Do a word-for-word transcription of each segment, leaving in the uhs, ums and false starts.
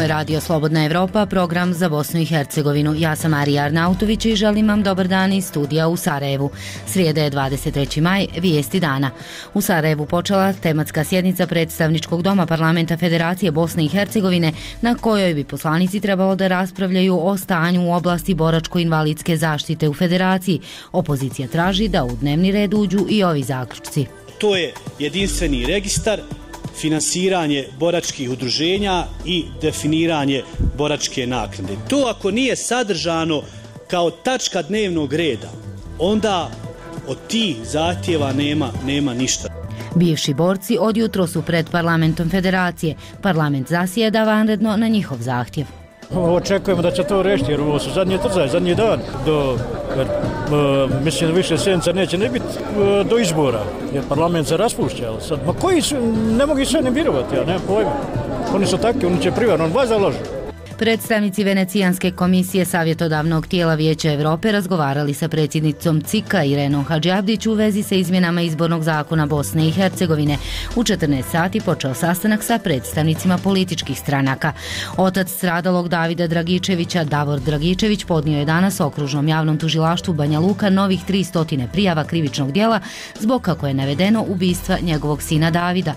je Radio Slobodna Evropa, program za Bosnu i Hercegovinu. Ja sam Marija Arnautović i želim vam dobar dan iz studija u Sarajevu. Srijeda je dvadeset treći maj, vijesti dana. U Sarajevu počela tematska sjednica predstavničkog doma Parlamenta Federacije Bosne i Hercegovine, na kojoj bi poslanici trebalo da raspravljaju o stanju u oblasti boračko-invalidske zaštite u Federaciji. Opozicija traži da u dnevni red uđu i ovi zaključci. To je jedinstveni registar, finansiranje boračkih udruženja i definiranje boračke naknade. To ako nije sadržano kao tačka dnevnog reda, onda od tih zahtjeva nema, nema ništa. Bivši borci od jutro su pred Parlamentom Federacije. Parlament zasjeda vanredno na njihov zahtjev. Očekujemo da će to rešiti jer ovo su zadnje trzaj, zadnji dan. Do, jer, uh, mislim da više sjednica neće ne biti uh, do izbora jer parlament se raspušća. Sad, ma koji su, ne mogu sve ne birovati, ja nemam pojma. Oni su takvi, oni će privarno, on vas založi. Predstavnici Venecijanske komisije savjetodavnog tijela Vijeća Evrope razgovarali sa predsjednicom C I K-a Irenom Hadžiabdić u vezi sa izmjenama izbornog zakona Bosne i Hercegovine. U četrnaest sati počeo sastanak sa predstavnicima političkih stranaka. Otac stradalog Davida Dragičevića, Davor Dragičević, podnio je danas okružnom javnom tužilaštvu Banja Luka novih tristo prijava krivičnog djela zbog, kako je navedeno, ubistva njegovog sina Davida.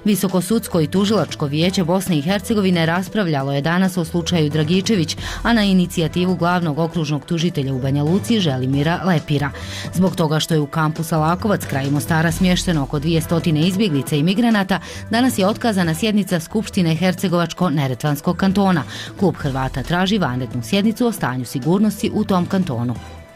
Visokosudsko i tužilačko vijeće Bosne i Hercegovine raspravljalo je danas o slučaju Dragičević, a na inicijativu glavnog okružnog tužitelja u Banja Luci Želimira Lepira. Zbog toga što je u kampu Salakovac kraj Mostara smješteno oko dvjesto izbjeglica i migranata, danas je otkazana sjednica Skupštine Hercegovačko-Neretvanskog kantona. Klub Hrvata traži vanrednu sjednicu o stanju sigurnosti u tom kantonu.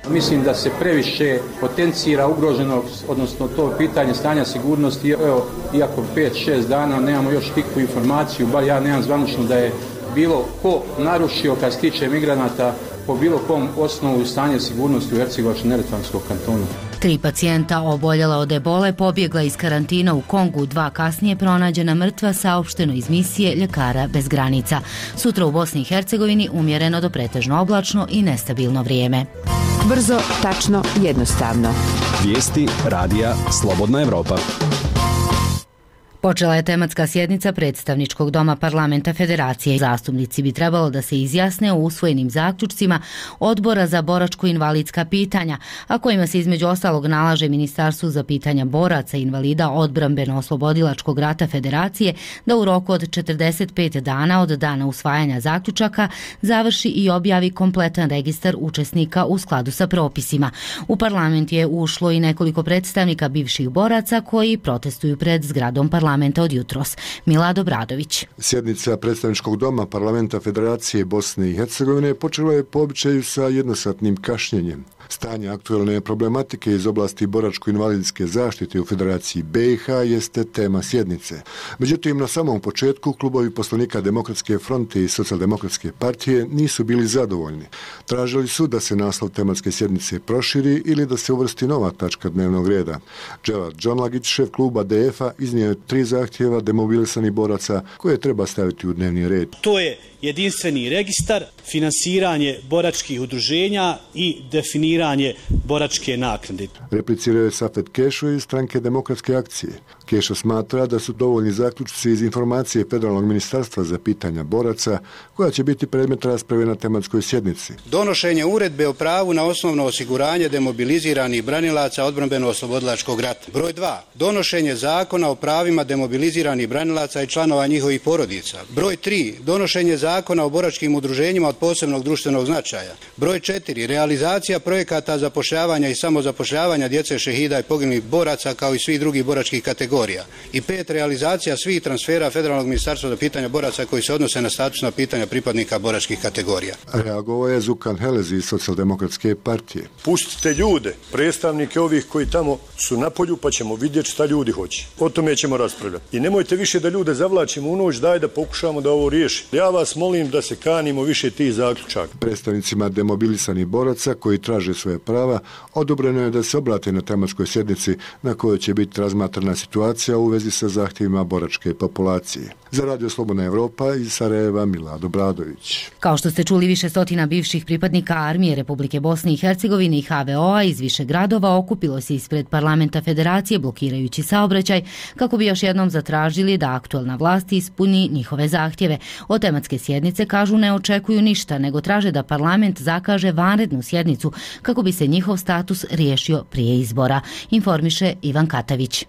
Mislim da se previše potencira ugroženo, odnosno to pitanje stanja sigurnosti. Evo, iako pet šest dana nemamo još nikakvu informaciju, bar ja nemam zvanično da je bilo ko narušio kad se tiče migranata po bilo kom osnovu stanje sigurnosti u Hercegovačko-Neretvanskog kantonu. Tri pacijenta oboljela od ebole pobjegla iz karantina u Kongu, dva kasnije pronađena mrtva, saopšteno iz misije Ljekara bez granica. Sutra u Bosni i Hercegovini umjereno do pretežno oblačno i nestabilno vrijeme. Brzo, tačno, jednostavno. Vijesti radija Slobodna Evropa. Počela je tematska sjednica predstavničkog doma Parlamenta Federacije. Zastupnici bi trebalo da se izjasne o usvojenim zaključcima Odbora za boračko-invalidska pitanja, a kojima se između ostalog nalaže Ministarstvu za pitanja boraca i invalida odbrambeno-oslobodilačkog rata Federacije da u roku od četrdeset pet dana od dana usvajanja zaključaka završi i objavi kompletan registar učesnika u skladu sa propisima. U parlament je ušlo i nekoliko predstavnika bivših boraca koji protestuju pred zgradom parlamenta. Parlamenta od jutros. Milado Bradović. Sjednica predstavničkog doma Parlamenta Federacije Bosne i Hercegovine počela je po običaju sa jednosatnim kašnjenjem. Stanje aktualne problematike iz oblasti boračko-invalidske zaštite u Federaciji B i H jeste tema sjednice. Međutim, na samom početku klubovi poslanika Demokratske fronte i Socijaldemokratske partije nisu bili zadovoljni. Tražili su da se naslov tematske sjednice proširi ili da se uvrsti nova tačka dnevnog reda. Dževad Džonlagić, šef kluba D F-a, iznio je tri zahtjeva demobilisanih boraca koje treba staviti u dnevni red. To je jedinstveni registar, finansiranje boračkih udruženja i definiranje boračke naknade. Replicirao je Safet Kešo iz stranke Demokratske akcije. Kešo smatra da su dovoljni zaključci iz informacije Federalnog ministarstva za pitanja boraca, koja će biti predmet rasprave na tematskoj sjednici. Donošenje uredbe o pravu na osnovno osiguranje demobiliziranih branilaca odbrambeno-oslobodilačkog rata. Broj dva. Donošenje zakona o pravima demobiliziranih branilaca i članova njihovih porodica. Broj tri. Donošenje zakona o boračkim udruženjima od posebnog društvenog značaja. Broj četiri. Realizacija projekata zapošljavanja i samozapošljavanja djece šehida i poginulih boraca kao i svih drugih boračkih kategorija. I pet. Realizacija svih transfera Federalnog ministarstva za pitanja boraca koji se odnose na statusna pitanja pripadnika boračkih kategorija. Reagovao je Zukan Helezi iz Socijaldemokratske partije. Pustite ljude, predstavnike ovih koji tamo su na polju, pa ćemo vidjeti šta ljudi hoće. O tome ćemo raspravljati. I nemojte više da ljude zavlačimo u noć, daj da pokušamo da ovo riješi. Ja vas molim da se kanimo više tih zaključaka. Predstavnicima demobilisanih boraca koji traže svoje prava odobreno je da se obrate na tematskoj sjednici na kojoj će biti razmatrana situacija u vezi sa zahtjevima boračke populacije. Za Radio Slobodna Evropa iz Sarajeva Milado Bradović. Kao što ste čuli, više stotina bivših pripadnika Armije Republike Bosne i Hercegovine i H V O-a iz više gradova okupilo se ispred parlamenta federacije blokirajući saobraćaj kako bi još jednom zatražili da aktuelna vlast ispuni njihove zahtjeve. Od tematske sjednice kažu ne očekuju ništa, nego traže da parlament zakaže vanrednu sjednicu kako bi se njihov status riješio prije izbora, informiše Ivan Katavić.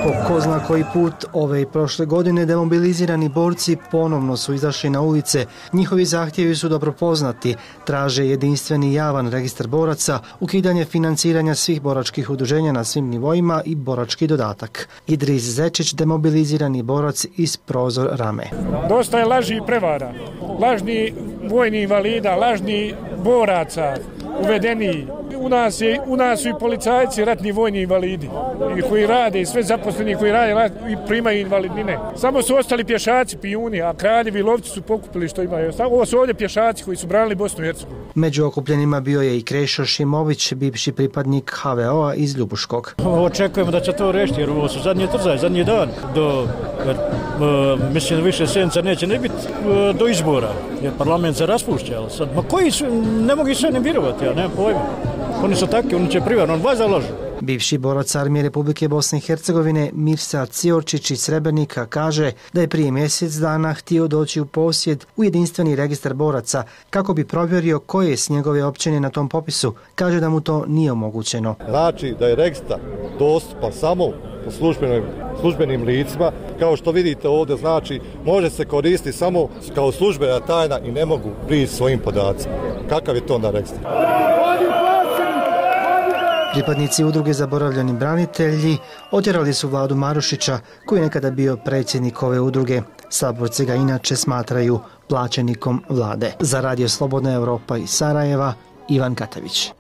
Po ko zna koji put ove i prošle godine demobilizirani borci ponovno su izašli na ulice. Njihovi zahtjevi su dobro poznati. Traže jedinstveni javan registar boraca, ukidanje financiranja svih boračkih udruženja na svim nivoima i borački dodatak. Idris Zečić, demobilizirani borac iz Prozor Rame. Dosta je laži i prevara. Lažni vojni invalida, lažni boraca, uvedeni. U nas, je, u nas su i policajci ratni vojni invalidi i koji rade i sve zaposleni koji rade i primaju invalidnine. Samo su ostali pješaci, pijuni, a kraljevi i lovci su pokupili što imaju. Ovo su ovdje pješaci koji su branili Bosnu i Hercegovinu. Među okupljenima bio je i Krešo Šimović, bivši pripadnik H V O-a iz Ljubuškog. Očekujemo da će to rešiti jer ovo su zadnje trzaj, zadnji dan. Do, jer, uh, mislim da više sedmica neće ne biti uh, do izbora jer parlament se raspušća. Sad, ma koji su, ne mogu sve ne vjerovati, ja nemam pojma. Oni su takvi, oni će privarno, on vas zalažu. Bivši borac Armije Republike Bosne i Hercegovine Mirsad Ciorčić iz Srebrenika kaže da je prije mjesec dana htio doći u posjed u jedinstveni registar boraca kako bi provjerio koje je s njegove općine na tom popisu. Kaže da mu to nije omogućeno. Znači da je registar dostupan samo po službenim, službenim licima. Kao što vidite ovdje, znači može se koristiti samo kao službena tajna i ne mogu prići svojim podacima. Kakav je to na registar? Pripadnici udruge Zaboravljeni branitelji otjerali su Vladu Marušića, koji je nekada bio predsjednik ove udruge. Saborci ga inače smatraju plaćenikom vlade. Za Radio Slobodna Evropa iz Sarajeva, Ivan Katavić.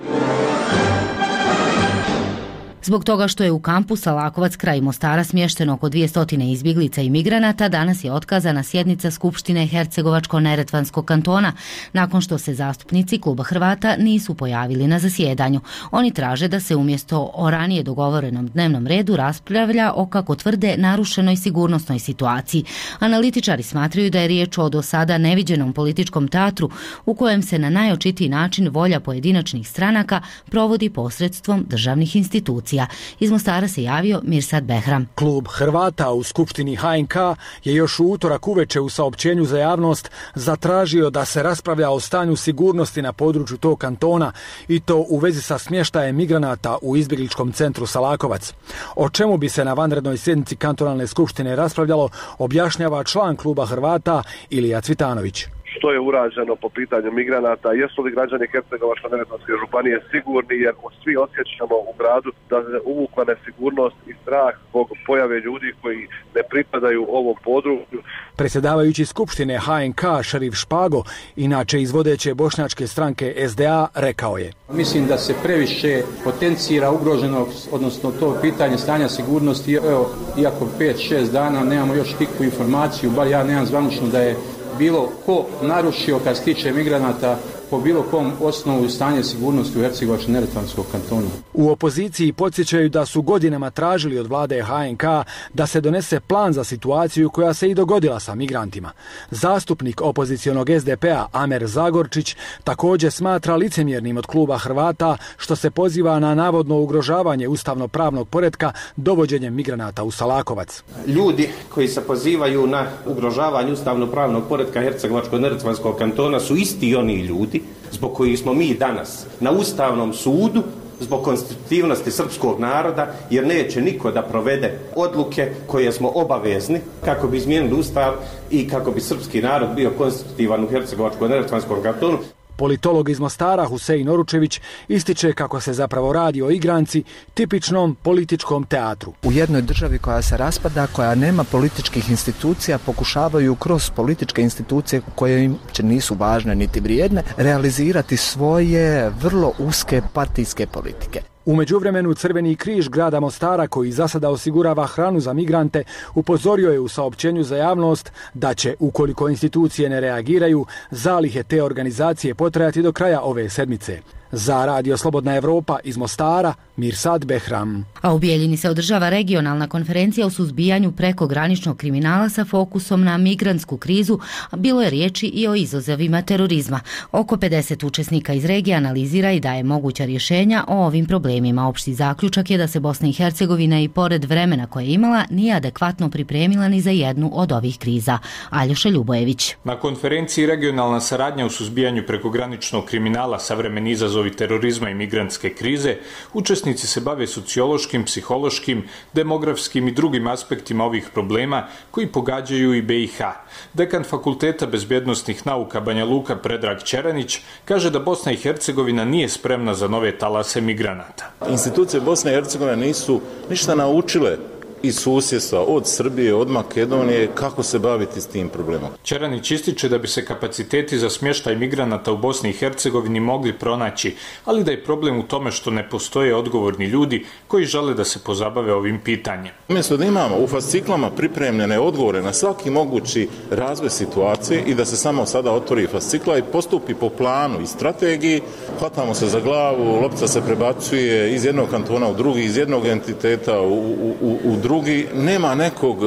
Zbog toga što je u kampu Salakovac kraj Mostara smješteno oko dvjesto izbjeglica i migranata, danas je otkazana sjednica Skupštine Hercegovačko-Neretvanskog kantona, nakon što se zastupnici Kluba Hrvata nisu pojavili na zasjedanju. Oni traže da se umjesto o ranije dogovorenom dnevnom redu raspravlja o, kako tvrde, narušenoj sigurnosnoj situaciji. Analitičari smatraju da je riječ o do sada neviđenom političkom teatru u kojem se na najočitiji način volja pojedinačnih stranaka provodi posredstvom državnih institucija. Iz Mostara se javio Mirsad Behram. Klub Hrvata u Skupštini H N K je još u utorak uveče u saopćenju za javnost zatražio da se raspravlja o stanju sigurnosti na području tog kantona i to u vezi sa smještajem migranata u izbjegličkom centru Salakovac. O čemu bi se na vanrednoj sjednici kantonalne skupštine raspravljalo, objašnjava član Kluba Hrvata Ilija Cvitanović. Što je urađeno po pitanju migranata, jesu li građani Hercegovačko-Neretvanske županije sigurni, jer svi osjećamo u gradu da se uvukla nesigurnost i strah zbog pojave ljudi koji ne pripadaju ovom području. Predsjedavajući Skupštine H N K Šerif Špago, inače iz vodeće bošnjačke stranke S D A, rekao je: Mislim da se previše potencira ugroženost, odnosno to pitanje stanja sigurnosti. Evo, iako pet šest dana nemamo još nikakvu informaciju, bar ja nemam zvanično da je bilo ko narušio kad se tiče migranata po bilo kom osnovu stanje sigurnosti u Hercegovačko-Neretvanskom kantonu. U opoziciji podsjećaju da su godinama tražili od vlade H N K da se donese plan za situaciju koja se i dogodila sa migrantima. Zastupnik opozicionog S D P-a Amer Zagorčić također smatra licemjernim od Kluba Hrvata što se poziva na navodno ugrožavanje ustavno-pravnog poretka dovođenjem migranata u Salakovac. Ljudi koji se pozivaju na ugrožavanje ustavno-pravnog poretka Hercegovačko-Neretvanskog kantona su isti oni ljudi zbog kojih smo mi danas na Ustavnom sudu zbog konstitutivnosti srpskog naroda, jer neće niko da provede odluke koje smo obavezni kako bi izmijenili Ustav i kako bi srpski narod bio konstitutivan u Hercegovačko-Neretvanskom kantonu. Politolog iz Mostara Husein Oručević ističe kako se zapravo radi o igranci, tipičnom političkom teatru. U jednoj državi koja se raspada, koja nema političkih institucija, pokušavaju kroz političke institucije koje im nisu važne niti vrijedne realizirati svoje vrlo uske partijske politike. U međuvremenu Crveni križ grada Mostara, koji za sada osigurava hranu za migrante, upozorio je u saopćenju za javnost da će, ukoliko institucije ne reagiraju, zalihe te organizacije potrajati do kraja ove sedmice. Za Radio Slobodna Evropa iz Mostara, Mirsad Behram. A u Bijeljini se održava regionalna konferencija o suzbijanju prekograničnog kriminala sa fokusom na migrantsku krizu, a bilo je riječi i o izazovima terorizma. Oko pedeset učesnika iz regije analizira i daje moguća rješenja o ovim problemima. Opšti zaključak je da se Bosna i Hercegovina i pored vremena koje je imala nije adekvatno pripremila ni za jednu od ovih kriza. Aljoša Ljubojević. Na konferenciji Regionalna saradnja u suzbijanju prekograničnog kriminala, savremeni izazovi terorizma i migrantske krize, učesnici se bave sociološkim, psihološkim, demografskim i drugim aspektima ovih problema koji pogađaju i B i H. Dekan Fakulteta bezbjednosnih nauka Banja Luka Predrag Ćeranić kaže da Bosna i Hercegovina nije spremna za nove talase migranata. Institucije Bosne i Hercegovine nisu ništa naučile iz susjedstva, od Srbije, od Makedonije, kako se baviti s tim problemom. Ćeranić ističe da bi se kapaciteti za smještaj migranata u Bosni i Hercegovini mogli pronaći, ali da je problem u tome što ne postoje odgovorni ljudi koji žele da se pozabave ovim pitanjem. Umjesto da imamo u fasciklama pripremljene odgovore na svaki mogući razvoj situacije i da se samo sada otvori fascikla i postupi po planu i strategiji, hvatamo se za glavu, loptica se prebacuje iz jednog kantona u drugi, iz jednog entiteta u, u, u, u drugi. Drugi, nema nekog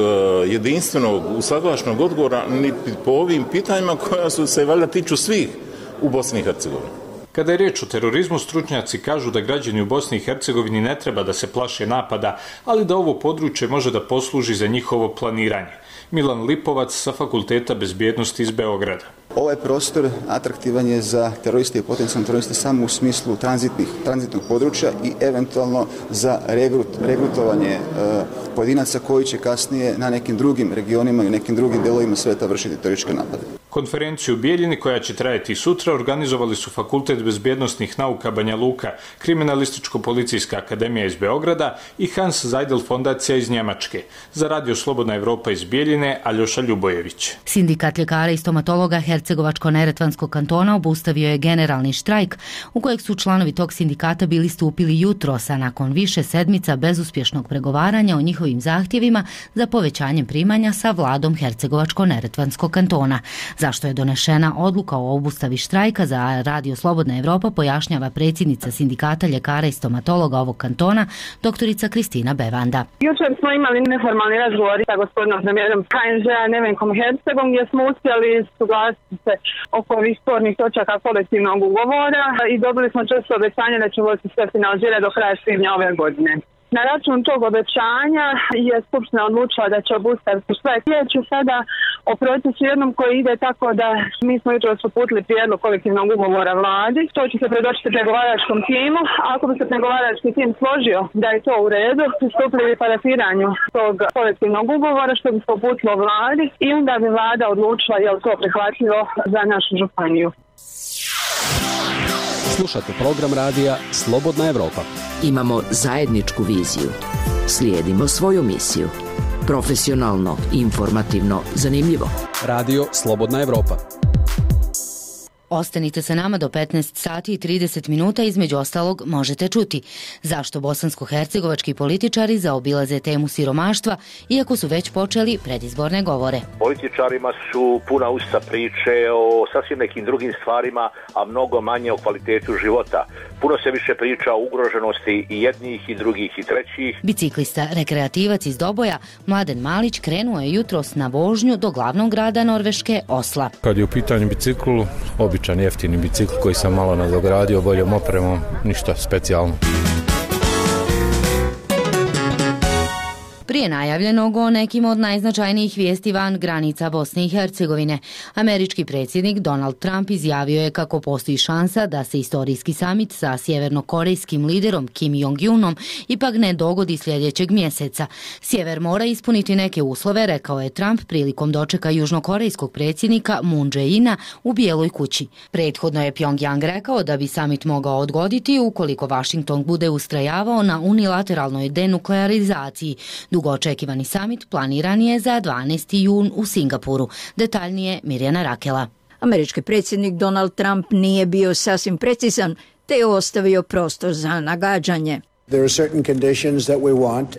jedinstvenog, usaglašenog odgovora ni po ovim pitanjima koja su se valjda tiču svih u Bosni i Hercegovini. Kada je riječ o terorizmu, stručnjaci kažu da građani u Bosni i Hercegovini ne treba da se plaše napada, ali da ovo područje može da posluži za njihovo planiranje. Milan Lipovac sa Fakulteta bezbjednosti iz Beograda. Ovaj prostor atraktivan je za teroriste i potencijalne teroriste samo u smislu tranzitnih, tranzitnog područja i eventualno za regrut, regrutovanje e, pojedinaca koji će kasnije na nekim drugim regionima i nekim drugim delovima sveta vršiti terorističke napade. Konferenciju u Bijeljini, koja će trajati sutra, organizovali su Fakultet bezbjednosnih nauka Banja Luka, Kriminalističko-policijska akademija iz Beograda i Hans Seidel fondacija iz Njemačke. Za Radio Slobodna Evropa iz Bijeljine, Aljoša Ljubojević. Sindikat ljekara i stomatologa Hercegovačko-neretvanskog kantona obustavio je generalni štrajk u kojeg su članovi tog sindikata bili stupili jutros, a nakon više sedmica bezuspješnog pregovaranja o njihovim zahtjevima za povećanjem primanja sa vladom Hercegovačko-neretvanskog kantona. Zašto je donešena odluka o obustavi štrajka, za Radio Slobodna Evropa pojašnjava predsjednica sindikata ljekara i stomatologa ovog kantona, doktorica Kristina Bevanda. Jučer smo imali neformalni razgovor sa gospodinom premijerom K N Ž-a Nevenkom Hercegom, gdje smo uspjeli suglasiti se oko ovih spornih točaka kolektivnog ugovora i dobili smo često obećanje da ćemo se sve finalizirati do kraja svibnja ove godine. Na račun tog obećanja je Skupština odlučila da će obustaviti štrajk. Riječ je sada o procesu jednom koji ide tako da mi smo jutros uputili prijedlog kolektivnog ugovora vladi. To će se predočiti pregovaračkom timu. Ako bi se pregovarački tim složio da je to u redu, pristupili bi parafiranju tog kolektivnog ugovora što bi se uputilo vladi i onda bi vlada odlučila je li to prihvatljivo za našu županiju. Slušate program radija Slobodna Evropa. Imamo zajedničku viziju. Slijedimo svoju misiju. Profesionalno, informativno, zanimljivo. Radio Slobodna Evropa. Ostanite sa nama do petnaest sati i trideset minuta, između ostalog možete čuti zašto bosansko-hercegovački političari zaobilaze temu siromaštva, iako su već počeli predizborne govore. Političarima su puna usta priče o sasvim nekim drugim stvarima, a mnogo manje o kvalitetu života. Puno se više priča o ugroženosti i jednih i drugih i trećih. Biciklista, rekreativac iz Doboja, Mladen Malić, krenuo je jutros na vožnju do glavnog grada Norveške, Osla. Kad je u pitanju bicikl, običan jeftini bicikl koji sam malo nadogradio boljom opremom, ništa specijalno. Prije najavljenog o nekim od najznačajnijih vijesti van granica Bosne i Hercegovine, američki predsjednik Donald Trump izjavio je kako postoji šansa da se istorijski samit sa sjevernokorejskim liderom Kim Jong-unom ipak ne dogodi sljedećeg mjeseca. Sjever mora ispuniti neke uslove, rekao je Trump prilikom dočeka južnokorejskog predsjednika Moon Jae-ina u Bijeloj kući. Prethodno je Pyongyang rekao da bi samit mogao odgoditi ukoliko Washington bude ustrajavao na unilateralnoj denuklearizaciji. Dugo očekivani samit planiran je za dvanaesti jun u Singapuru. Detaljnije Mirjana Rakela. Američki predsjednik Donald Trump nije bio sasvim precizan, te je ostavio prostor za nagađanje.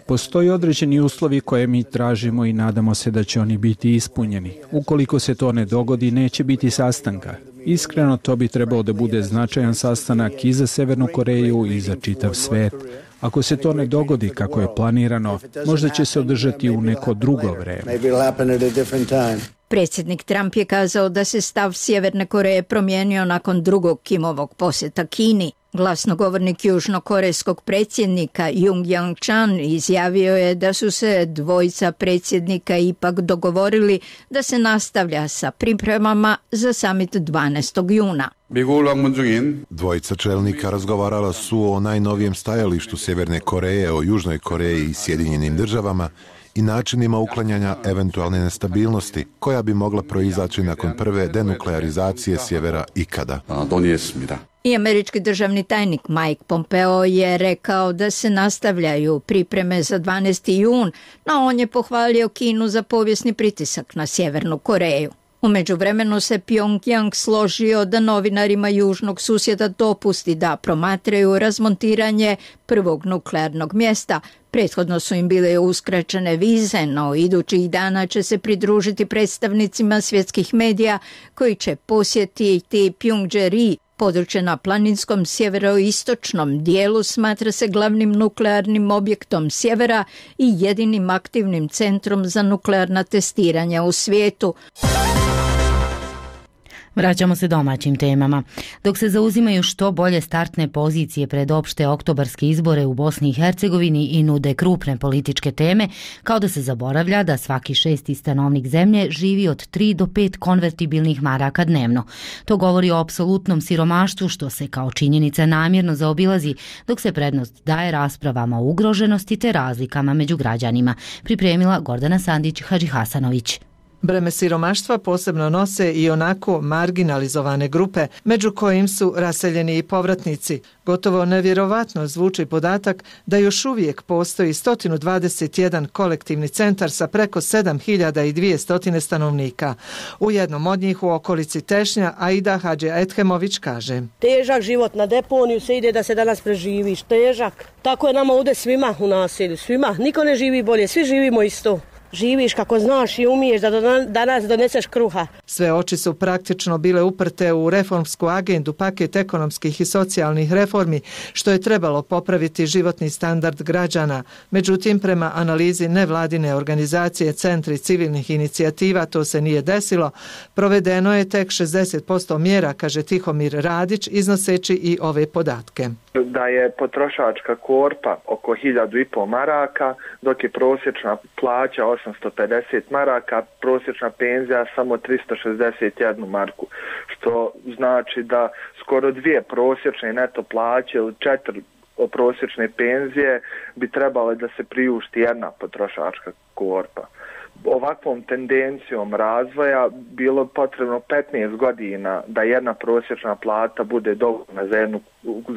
Postoji određeni uslovi koje mi tražimo i nadamo se da će oni biti ispunjeni. Ukoliko se to ne dogodi, neće biti sastanka. Iskreno, to bi trebao da bude značajan sastanak i za Severnu Koreju i za čitav svet. Ako se to ne dogodi kako je planirano, možda će se održati u neko drugo vreme. Predsjednik Trump je kazao da se stav Sjeverne Koreje promijenio nakon drugog Kimovog posjeta Kini. Glasnogovornik južnokorejskog predsjednika Jung Yang-chan izjavio je da su se dvojica predsjednika ipak dogovorili da se nastavlja sa pripremama za samit dvanaestog juna. Dvojica čelnika razgovarala su o najnovijem stajalištu Sjeverne Koreje o Južnoj Koreji i Sjedinjenim državama i načinima uklanjanja eventualne nestabilnosti koja bi mogla proizaći nakon prve denuklearizacije sjevera ikada. I američki državni tajnik Mike Pompeo je rekao da se nastavljaju pripreme za dvanaesti jun, no on je pohvalio Kinu za povijesni pritisak na Sjevernu Koreju. U međuvremenu se Pyongyang složio da novinarima južnog susjeda dopusti da promatraju razmontiranje prvog nuklearnog mjesta. Prethodno su im bile uskraćene vize, no idućih dana će se pridružiti predstavnicima svjetskih medija koji će posjetiti Pyongyang. Područje na planinskom sjeveroistočnom dijelu smatra se glavnim nuklearnim objektom sjevera i jedinim aktivnim centrom za nuklearna testiranja u svijetu. Vraćamo se domaćim temama. Dok se zauzimaju što bolje startne pozicije pred opšte oktobarske izbore u Bosni i Hercegovini i nude krupne političke teme, kao da se zaboravlja da svaki šesti stanovnik zemlje živi od tri do pet konvertibilnih maraka dnevno. To govori o apsolutnom siromaštvu što se kao činjenica namjerno zaobilazi, dok se prednost daje raspravama o ugroženosti te razlikama među građanima, pripremila Gordana Sandić-Hadžihasanović. Breme siromaštva posebno nose i onako marginalizovane grupe, među kojim su raseljeni i povratnici. Gotovo nevjerovatno zvuči podatak da još uvijek postoji sto dvadeset jedan kolektivni centar sa preko sedam hiljada dvjesto stanovnika. U jednom od njih u okolici Tešnja Aida Hadži Ethemović kaže: Težak život na deponiju se ide da se danas preživiš, težak. Tako je nama ovdje svima u naselju, svima. Niko ne živi bolje, svi živimo isto. Živiš kako znaš i umiješ da do danas doneseš kruha. Sve oči su praktično bile uprte u reformsku agendu, paket ekonomskih i socijalnih reformi, što je trebalo popraviti životni standard građana. Međutim, prema analizi nevladine organizacije Centri civilnih inicijativa to se nije desilo. Provedeno je tek šezdeset posto mjera, kaže Tihomir Radić, iznoseći i ove podatke. Da je potrošačka korpa oko hiljadu i pol maraka, dok je prosječna plaća osamsto pedeset maraka, prosječna penzija samo tristo šezdeset jednu marku, što znači da skoro dvije prosječne neto plaće ili četiri prosječne penzije bi trebale da se priušti jedna potrošačka korpa. Ovakvom tendencijom razvoja bilo potrebno petnaest godina da jedna prosječna plata bude dovoljna za jednu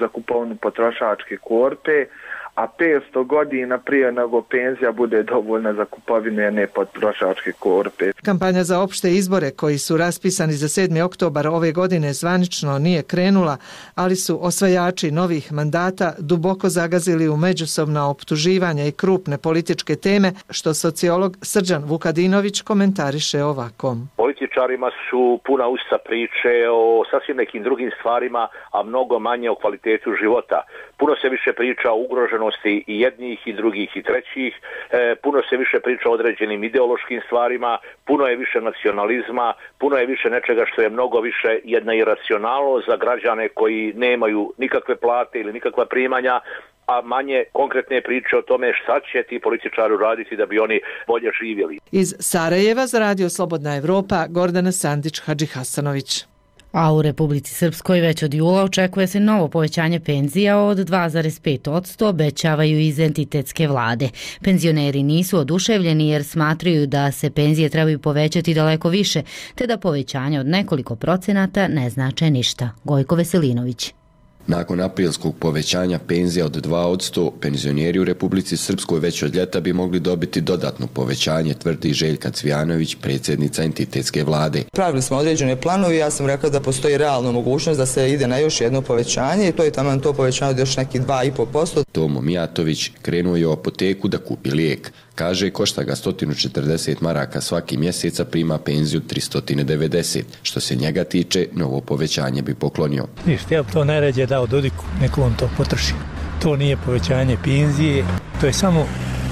za kupovinu potrošačke korpe, a petsto godina prije nego penzija bude dovoljna za kupovinu jedne potrošačke korpe. Kampanja za opšte izbore koji su raspisani za sedmi oktobar ove godine zvanično nije krenula, ali su osvajači novih mandata duboko zagazili u međusobna optuživanja i krupne političke teme, što sociolog Srđan Vukadinović komentariše ovako. Političarima su puna usta priče o sasvim nekim drugim stvarima, a mnogo manje o kvalitetu života. Puno se više priča o ugroženosti i jednih i drugih i trećih, e, puno se više priča o određenim ideološkim stvarima, puno je više nacionalizma, puno je više nečega što je mnogo više jedna iracionalnost za građane koji nemaju nikakve plate ili nikakva primanja, a manje konkretne priče o tome šta će ti političari raditi da bi oni bolje živjeli. Iz Sarajeva za Radio Slobodna Evropa, Gordana Sandić-Hadžihasanović. A u Republici Srpskoj već od jula očekuje se novo povećanje penzija od dva zarez pet posto, obećavaju iz entitetske vlade. Penzioneri nisu oduševljeni jer smatraju da se penzije trebaju povećati daleko više, te da povećanje od nekoliko procenata ne znače ništa. Gojko Veselinović. Nakon aprilskog povećanja penzija od dva posto, penzioneri u Republici Srpskoj već od ljeta bi mogli dobiti dodatno povećanje, tvrdi Željka Cvijanović, predsjednica entitetske vlade. Pravili smo određene planovi, ja sam rekao da postoji realna mogućnost da se ide na još jedno povećanje i to je tamo to povećanje od još nekih dva i pol posto. Tomo Mijatović krenuo je u apoteku da kupi lijek. Kaže, košta ga sto četrdeset maraka svaki mjesec, a prima penziju tristo devedeset. Što se njega tiče, novo povećanje bi poklonio. Ništa, ja bi to najrađe dao Dodiku, neko on to potroši. To nije povećanje penzije, to je samo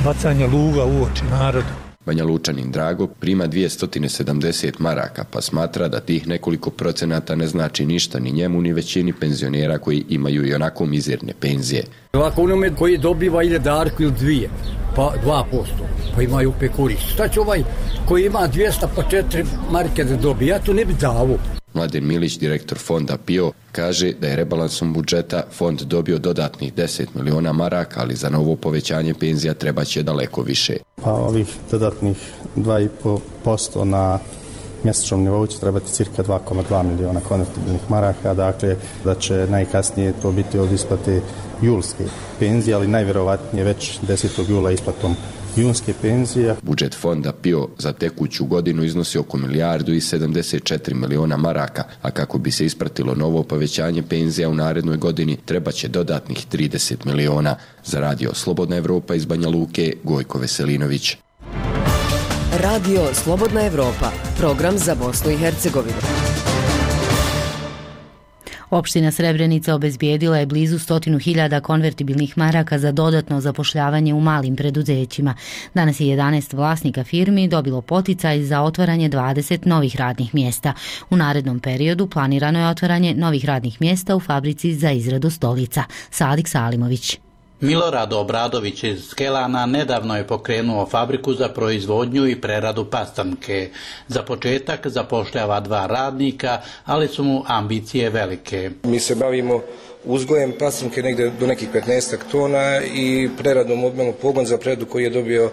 bacanje luga u oči narodu. Banja Lučanin Drago prima dvjesto sedamdeset maraka, pa smatra da tih nekoliko procenata ne znači ništa ni njemu ni većini penzionera koji imaju i onako mizerne penzije. Ovako onome koji dobiva ili darku ili dvije, pa dva posto, pa imaju opet korist. Šta će ovaj koji ima dvjesto pa četiri marke da dobije, ja to ne bi davo. Mladen Milić, direktor fonda P I O, kaže da je rebalansom budžeta fond dobio dodatnih deset miliona maraka, ali za novo povećanje penzija treba će daleko više. Pa ovih dodatnih dva i pet posto na mjesečnom nivou će trebati cirka dva zarez dva miliona konvertibilnih maraka, dakle da će najkasnije to biti od isplate julske penzije, ali najvjerovatnije već desetog jula isplatom junske penzije. Budžet fonda P I O za tekuću godinu iznosi oko milijardu i sedamdeset četiri miliona maraka, a kako bi se ispratilo novo povećanje penzija u narednoj godini, treba će dodatnih trideset miliona. Za radio Slobodna Evropa iz Banja Luke, Gojko Veselinović. Radio Slobodna Evropa, program za Bosnu i Hercegovinu. Opština Srebrenica obezbijedila je blizu stotinu hiljada konvertibilnih maraka za dodatno zapošljavanje u malim preduzećima. Danas je jedanaest vlasnika firmi dobilo poticaj za otvaranje dvadeset novih radnih mjesta. U narednom periodu planirano je otvaranje novih radnih mjesta u fabrici za izradu stolica. Sadik Salimović. Milorad Obradović iz Skelana nedavno je pokrenuo fabriku za proizvodnju i preradu pastanke. Za početak zapošljava dva radnika, ali su mu ambicije velike. Mi se bavimo uzgojem pastanke negdje do nekih petnaest tona i preradom odmah pogon za preradu koji je dobio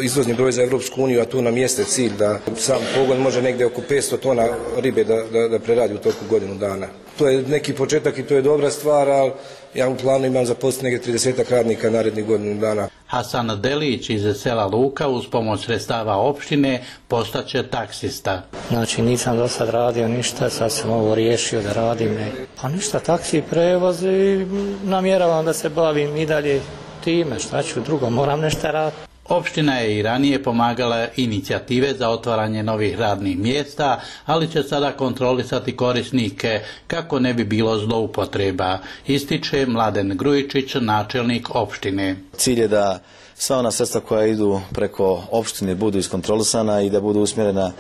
izvozni broj za Europsku uniju, a tu nam jeste cilj da sam pogon može negdje oko petsto tona ribe da, da, da preradi u toku godinu dana. To je neki početak i to je dobra stvar, ali ja u planu imam zaposliti negdje trideset radnika narednih godinu dana. Hasan Delić iz sela Luka uz pomoć sredstava opštine postaće taksista. Znači nisam do sad radio ništa, sad sam ovo riješio da radim. Ne. Pa ništa, taksi prevoz i namjeravam da se bavim i dalje time, šta ću drugo, moram nešto raditi. Opština je i ranije pomagala inicijative za otvaranje novih radnih mjesta, ali će sada kontrolisati korisnike kako ne bi bilo zloupotreba, ističe Mladen Grujičić, načelnik opštine. Cilj je da sva ona sredstva koja idu preko opštine budu iskontrolisana i da budu usmjerena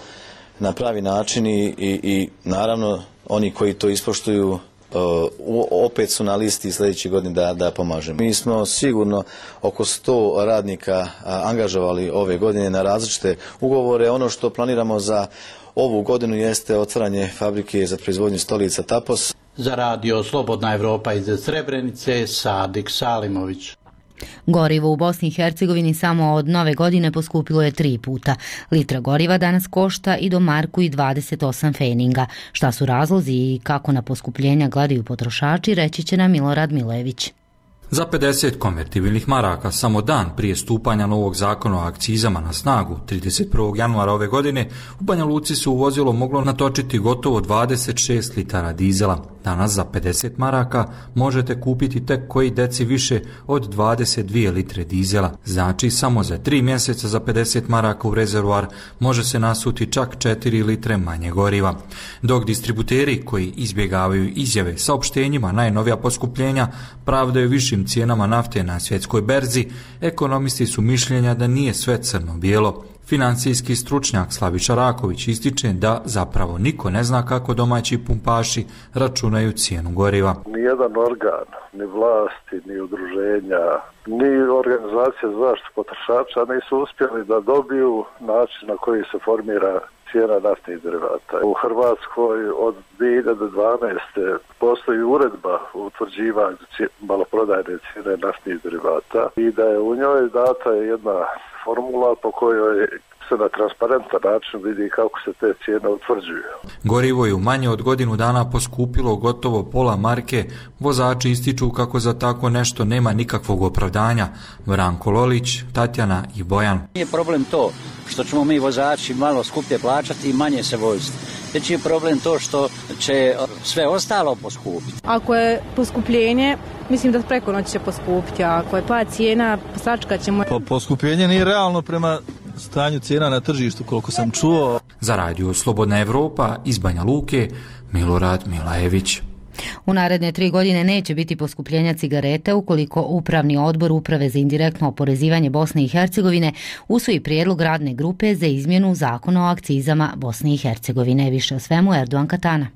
na pravi način i, i, i naravno oni koji to ispoštuju opet su na listi sljedeće godine da, da pomažemo. Mi smo sigurno oko sto radnika angažovali ove godine na različite ugovore. Ono što planiramo za ovu godinu jeste otvaranje fabrike za proizvodnju stolica Tapos. Za radio Slobodna Evropa iz Srebrenice, Sadik Salimović. Gorivo u Bosni i Hercegovini samo od nove godine poskupilo je tri puta. Litra goriva danas košta i do marku i dvadeset osam feninga. Šta su razlozi i kako na poskupljenja gledaju potrošači, reći će nam Milorad Milević. Za pedeset konvertibilnih maraka samo dan prije stupanja novog zakona o akcizama na snagu trideset prvog januara ove godine u Banja Luci se u vozilo moglo natočiti gotovo dvadeset šest litara dizela. Danas za pedeset maraka možete kupiti tek koji deci više od dvadeset dvije litre dizela. Znači samo za tri mjeseca za pedeset maraka u rezervoar može se nasuti čak četiri litre manje goriva. Dok distributeri koji izbjegavaju izjave saopštenjima najnovija poskupljenja pravdaju višim cijenama nafte na svjetskoj berzi, ekonomisti su mišljenja da nije sve crno-bijelo. Financijski stručnjak Slaviša Raković ističe da zapravo niko ne zna kako domaći pumpaši računaju cijenu goriva. Nijedan organ, ni vlasti, ni udruženja, ni organizacija za zaštitu potrošača nisu uspjeli da dobiju način na koji se formira cijena naftnih derivata. U Hrvatskoj od dvije hiljade dvanaeste. postoji uredba o utvrđivanju maloprodajne cijene naftnih derivata i da je u njoj data jedna formula po kojoj se na transparentan način vidi kako se te cijene utvrđuju. Gorivo je u manje od godinu dana poskupilo gotovo pola marke. Vozači ističu kako za tako nešto nema nikakvog opravdanja. Branko Lolić, Tatjana i Bojan. Nije problem to što ćemo mi vozači malo skuplje plaćati i manje se voziti. Već je problem to što će sve ostalo poskupiti. Ako je poskupljenje, mislim da preko noći će poskupiti, a ako je pad cijena, sačekat ćemo. Po, poskupljenje nije realno prema stanju cijena na tržištu, koliko sam čuo. Za radio Slobodna Evropa iz Banja Luke, Milorad Milajević. U naredne tri godine neće biti poskupljenja cigarete ukoliko Upravni odbor Uprave za indirektno oporezivanje Bosne i Hercegovine usvoji prijedlog radne grupe za izmjenu zakona o akcizama Bosne i Hercegovine. Više o svemu Erdogan Katana.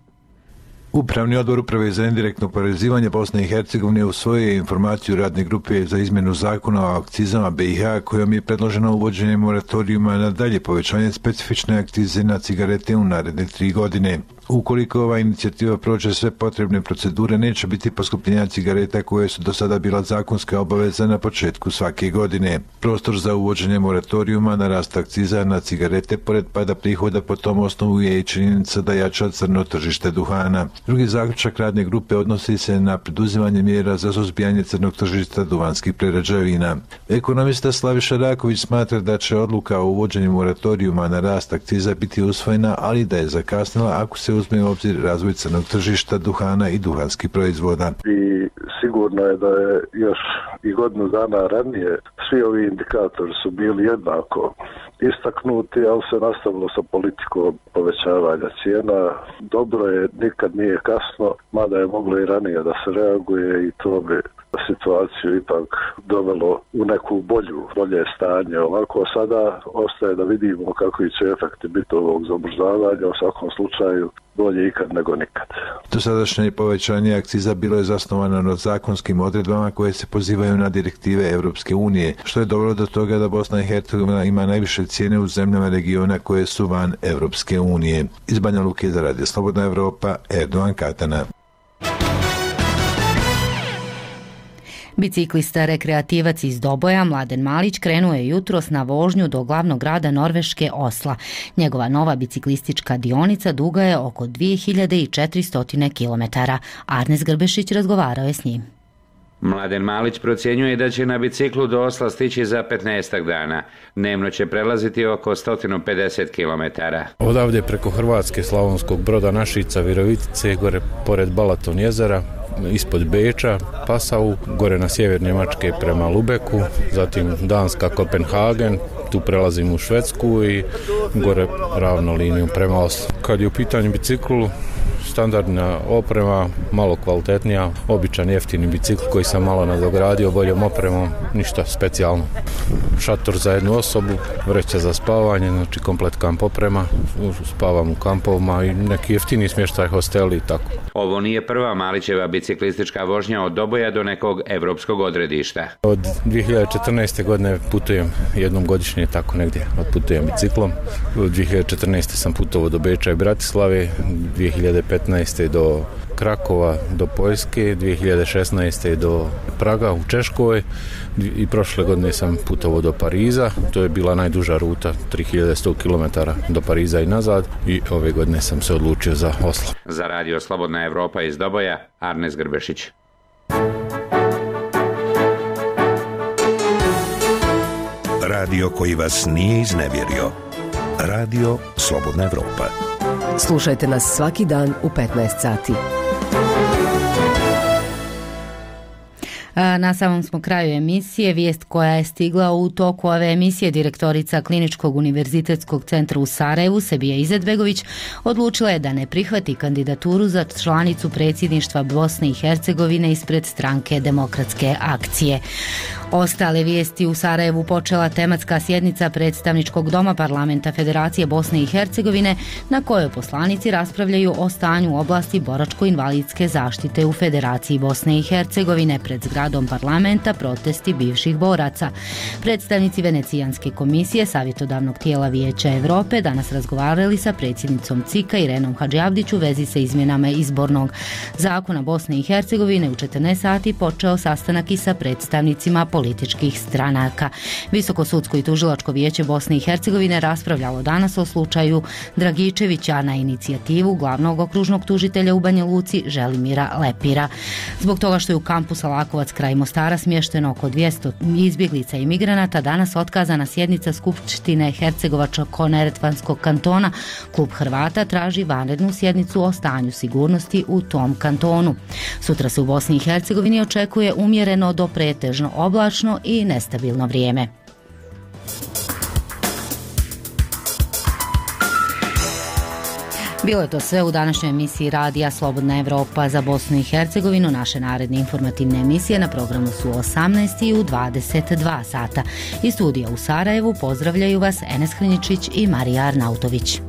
Upravni odbor Uprave za indirektno oporezivanje Bosne i Hercegovine usvojio je informaciju radne grupe za izmjenu zakona o akcizama B i H kojom je predloženo uvođenje moratorijuma na dalje povećanje specifične akcize na cigarete u naredne tri godine. Ukoliko ova inicijativa prođe sve potrebne procedure, neće biti poskupljenja cigareta koje su do sada bila zakonska obaveza na početku svake godine. Prostor za uvođenje moratorijuma na rast akciza na cigarete pored pada prihoda po tom osnovu je i činjenica da jača crno tržište duhana. Drugi zaključak radne grupe odnosi se na preduzimanje mjera za suzbijanje crnog tržišta duvanskih prerađevina. Ekonomista Slaviša Raković smatra da će odluka o uvođenju moratorijuma na rast akciza biti usvojena, ali da je zakasnila ako se uzme u obzir razvoj crnog tržišta duhana i duhanskih proizvoda. I sigurno je da je još i godinu dana ranije svi ovi indikatori su bili jednako istaknuti, ali se nastavilo sa politikom povećavanja cijena. Dobro je, nikad nije kasno, mada je moglo i ranije da se reaguje i to bi situaciju ipak dovelo u neku bolju, bolje stanje. Ovako sada ostaje da vidimo kakvi će efekti biti ovog zamrzavanja, u svakom slučaju bolje ikad nego nikad. Dosadašnje povećanje akciza bilo je zasnovano na zakonskim odredbama koje se pozivaju na direktive Europske unije, što je dovelo do toga da Bosna i Hercegovina ima najviše cijene u zemljama regiona koje su van Europske unije. Iz Banja Luke za radio Slobodna Evropa, Erdogan Katana. Biciklista rekreativac iz Doboja Mladen Malić krenuo je jutros na vožnju do glavnog grada Norveške Osla. Njegova nova biciklistička dionica duga je oko dvije hiljade četiristo kilometara. Arnes Grbešić razgovarao je s njim. Mladen Malić procjenjuje da će na biciklu do Osla stići za petnaestak dana. Dnevno će prelaziti oko sto pedeset kilometara. Odavde preko Hrvatske, Slavonskog Broda, Našica, Virovitice, gore pored Balaton jezera, ispod Beča, Passau, gore na sjever Njemačke prema Lubeku, zatim Danska, Kopenhagen, tu prelazim u Švedsku i gore ravno liniju prema Oslu. Kad je u pitanju biciklu, standardna oprema, malo kvalitetnija, običan jeftini bicikl koji sam malo nadogradio boljom opremom, ništa specijalno. Šator za jednu osobu, vreća za spavanje, znači komplet kamp oprema, spavam u kampovima i neki jeftini smještaj, hosteli i tako. Ovo nije prva Malićeva biciklistička vožnja od Doboja do nekog evropskog odredišta. Od dvije hiljade četrnaeste. godine putujem jednom godišnje, tako negdje odputujem biciklom. Od dvije hiljade četrnaeste. sam putovao do Beča i Bratislave, dvije hiljade petnaeste. do Krakova, do Poljske, dvije hiljade šesnaeste. do Praga u Češkoj i prošle godine sam putovao do Pariza. To je bila najduža ruta, tri hiljade sto kilometara do Pariza i nazad i ove godine sam se odlučio za Oslo. Za radio Slobodna Evropa iz Doboja, Arnes Grbešić. Radio koji vas nije iznevjerio. Radio Slobodna Evropa. Slušajte nas svaki dan u petnaest sati. Na samom smo kraju emisije. Vijest koja je stigla u toku ove emisije: direktorica Kliničkog univerzitetskog centra u Sarajevu, Sebija Izetbegović, odlučila je da ne prihvati kandidaturu za članicu predsjedništva Bosne i Hercegovine ispred stranke Demokratske akcije. Ostale vijesti: u Sarajevu počela tematska sjednica predstavničkog doma parlamenta Federacije Bosne i Hercegovine na kojoj poslanici raspravljaju o stanju u oblasti boračko-invalidske zaštite u Federaciji Bosne i Hercegovine pred zgradom zgradom parlamenta protesti bivših boraca. Predstavnici Venecijanske komisije savjetodavnog tijela Vijeća Europe danas razgovarali sa predsjednicom C I K-a Irenom Hadžiabdić u vezi sa izmjenama izbornog zakona Bosne i Hercegovine. U četrnaest sati počeo sastanak i sa predstavnicima političkih stranaka. Visoko sudsko i tužilačko vijeće Bosne i Hercegovine raspravljalo danas o slučaju Dragičevića na inicijativu glavnog okružnog tužitelja u Banja Luci Želimira Lepira. Zbog toga što je u kampu Salakovac kraj Mostara smješteno oko dvjesto izbjeglica i migranata, danas otkazana sjednica Skupštine Hercegovačko-neretvanskog kantona, Klub Hrvata traži vanrednu sjednicu o stanju sigurnosti u tom kantonu. Sutra se u Bosni i Hercegovini očekuje umjereno do pretežno oblačno i nestabilno vrijeme. Bilo je to sve u današnjoj emisiji radija Slobodna Evropa za Bosnu i Hercegovinu. Naše naredne informativne emisije na programu su u osamnaest i u dvadeset dva sata. Iz studija u Sarajevu pozdravljaju vas Enes Hrinjičić i Marija Arnautović.